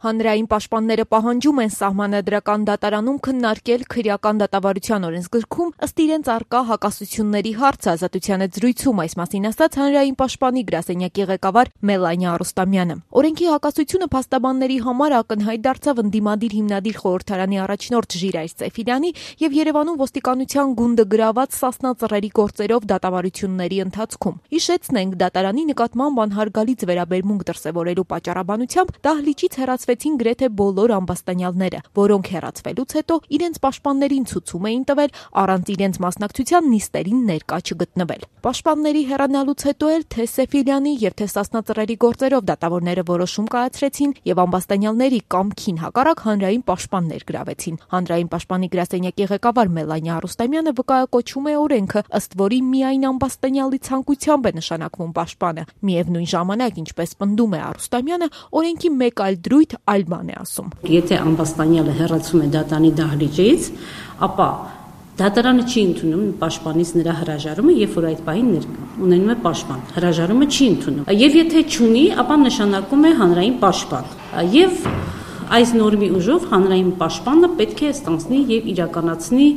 Հանրային պաշտպանները պահանջում են Սահմանադրական դատարանում քննարկել քրեական դատավարության օրենսգրքում ըստ իրենց առկա հակասությունների հարցը. Ազատության հետ զրույցում այս մասին ասաց հանրային պաշտպանի գրասենյակի ղեկավար Մելանիա Արուստամյանը։ Օրենքի հակասությունը փաստաբանների համար ակնհայտ դարձավ ընդդիմադիր հիմնադիր խորհրդարանի առաջնորդ Ժիրայր Սեֆիլյանի եւ Երևանում ոստիկանության գունդը գրաված Սասնա ծռերի գործերով դատավարությունների ընթացքում։ Հիշեցնենք, դատարանի նկատմամբ անհարգալից վերաբերմունք դրսևորելու պատճառաբանությամբ դահլիճից հեռացվեցին գրեթե բոլոր ամբաստանյալները, որոնք հեռացվելուց հետո իրենց պաշտպաններին ցուցում էին տվել առանց իրենց մասնակցության նիստերին ներկա չգտնվել։ Պաշտպանների հեռանալուց հետո էլ թե Սեֆիլյանի եւ թե Սասնա ծռերի գործերով դատավորները որոշում կայացրեցին եւ ամբաստանյալների կամքին հակառակ հանրային պաշտպաններ գրավեցին։ Հանրային պաշտպանի գրասենյակի ղեկավար Մելանիա Արուստամյանը վկայակոչում է օրենքը, ըստ որի միայն ամբաստանյալի ցանկությամբ է նշանակվում պաշտպանը։ Միևնույն ժամանակ, ինչպես պնդում է Արուստամյանը, օրենքի մեկ այլ դրույթ այլ բան է ասում։ Եթե ամբաստանյալը հեռացում է դատարանի դահլիճից, ապա դատարանը չի ընդունում պաշտպանից նրա հրաժարումը, երբ որ այդ պահին ունենում է պաշտպան։ Հրաժարումը չի ընդունում։ Եվ եթե չունի, ապա նշանակում է հանրային պաշտպան։ Եվ այս նորմի ուժով հանրային պաշտպանը պետք է ստանձնի եւ իրականացնի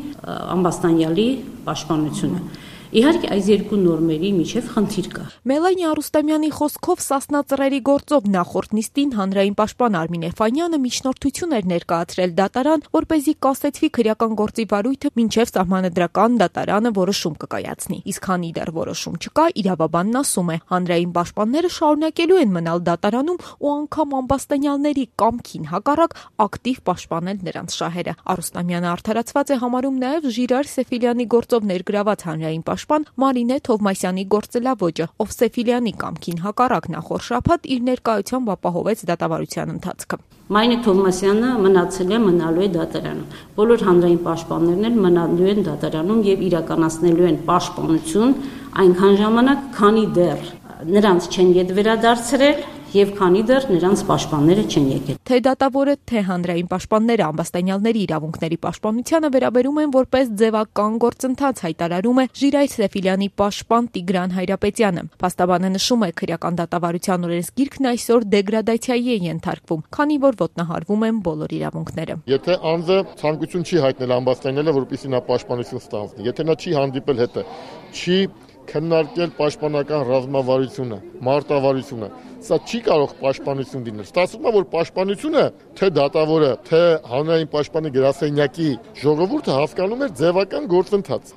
ամբաստանյալի պաշտպանությունը։ Իհարկե, այս երկու նորմերի միջև խնդիր կա։ Մելանիա Արուստամյանի խոսքով Սասնա ծռերի գործով նախորդ նիստին հանրային պաշտպան Արմին Էֆանյանը միջնորդություն էր ներկայացրել դատարան, որպեսզի կասեցվի քրեական գործի վարույթը մինչև Սահմանադրական դատարանը որոշում կկայացնի։ Իսկ քանի դեռ որոշում չկա, իրավաբանն ասում է, հանրային պաշտպանները շարունակելու են մնալ դատարանում ու անգամ ամբաստանյալների կամքին հակառակ ակտիվ պաշտպանել նրանց շահերը։ Արուստամյանը արդարացված է համարում նաև Ժիրայր Սեֆիլյանի գործով ներգրաված հանրային պաշտպան Մարինե Թովմասյանի գործելավոճը, ով Սեֆիլյանի կամքին հակառակ նախորդ շաբաթ իր ներկայությամբ ապահովեց դատավարության ընթացքը։ Մարինե Թովմասյանը մնալու է դատարանում։ Բոլոր հանրային պաշտպաններն էլ մնալու են դատարանում եւ իրականացնելու են պաշտպանություն այնքան ժամանակ, քանի դեռ նրանց չեն ետ վերադարձրել եւ քանի դեռ նրանց պաշտպանները չեն եկել։ Թե դատավորը, թե հանրային պաշտպանները ամբաստանյալների իրավունքների պաշտպանությանը վերաբերում են որպես ձևական գործընթաց, հայտարարում է Ժիրայր Սեֆիլյանի պաշտպան Տիգրան Հայրապետյանը։ Փաստաբանը նշում է, քրեական դատավարության օրենսգիրքն այսօր դեգրադացիայի է ենթարկվում, քանի որ ոտնահարվում են բոլոր իրավունքները։ Եթե անձը ցանկություն չի հայտնել ամբաստանյալը, որպեսզի նա պաշտպանություն ստանձնի, եթե նա չի հանդիպել հետը, չի քննարկել պաշտպանական ռազմավարությունը, մարտավարությունը, սա չի կարող պաշտպանություն լինել։ Ստացվում է, որ պաշտպանությունը թե դատավորը, թե հանրային պաշտպանի գրասենյակի ժողովուրդը հասկանում էր ձևական գործընթաց։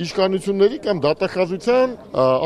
Իշխանությունների կամ դատախազության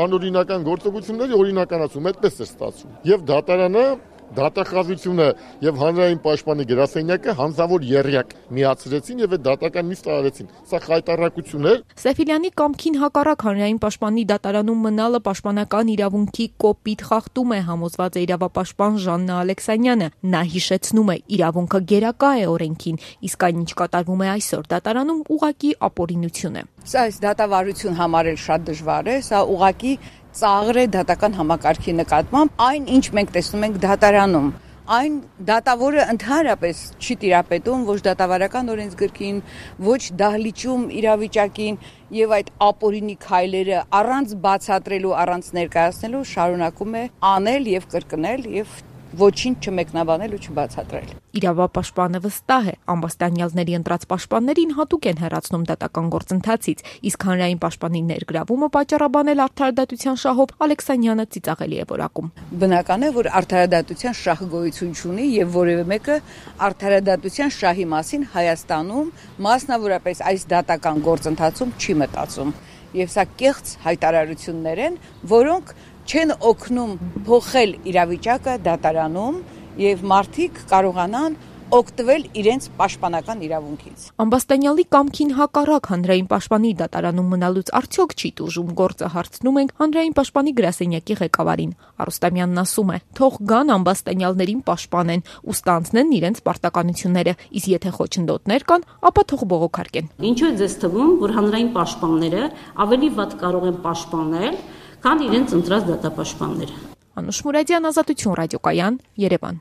անօրինական գործողությունների օրինականացում, այդպես է ստացվում։ Եվ դատարանը դատախազությունը եւ հանրային պաշտպանի գրասենյակը հանձնավոր եռյակ միացրեցին եւ այդ դատական նիստը արեցին։ Սա խայտառակություն է։ Սեֆիլյանի կամքին հակառակ հանրային պաշտպանի դատարանում մնալը պաշտպանական իրավունքի կոպիտ խախտում է, համոզված է իրավապաշտպան Ժաննա Ալեքսանյանը։ Նա հիշեցնում է, իրավունքը գերակա է օրենքին, իսկ այն, ինչ կատարվում է այսօր դատարանում, ուղղակի ապօրինություն է։ Սա այս դատավարություն համարել շատ դժվար է, սա ուղղակի ծաղր է դատական համակարգի նկատմամբ, այն ինչ մենք տեսնում ենք դատարանում, այն դատավորը ընդհանրապես չի տիրապետում ոչ դատավարական օրենսգրքին, ոչ դահլիճում իրավիճակին եւ այդ ապօրինի քայլերը առանց բացատրելու, առանց ներկայացնելու շարունակում է անել եւ կրկնել եւ ոչինչ չմեկնաբանել ու չբացատրել։ Իրավապաշտպանը վստահ է, ամբաստանյալների ընտրած պաշտպաններին հատուկ են հեռացնում դատական գործընթացից, իսկ հանրային պաշտպանի ներգրավումը պատճառաբանել արդարադատության շահով Ալեքսանյանը ծիծաղելի է որակում։ Բնական է, որ արդարադատության շահ գոյություն չունի եւ որևէ մեկը արդարադատության շահի մասին Հայաստանում, մասնավորապես այս դատական գործընթացում չի մտածում։ Եվ սա կեղծ հայտարարություններ են, որոնք չեն օգնում փոխել իրավիճակը դատարանում եւ մարդիկ կարողանան օգտվել իրենց պաշտպանական իրավունքից։ Ամբաստանյալի կամքին հակառակ հանրային պաշտպանի դատարանում մնալուց արդյոք չի տուժում գործը, հարցնում ենք հանրային պաշտպանի գրասենյակի ղեկավարին։ Արուստամյանն ասում է, թող գան ամբաստանյալներին պաշտպանեն ու ստանձնեն իրենց պարտականությունները, իսկ եթե խոչընդոտներ կան, ապա թող բողոքարկեն։ Ինչու է ձեզ թվում, որ հանրային պաշտպանները ավելի վատ կարող են պաշտպանել, քան իրենց ընտրած դատապաշտպանները։ Անուշ Մուրադյան, Ազատություն ռադիոկայան, Երևան։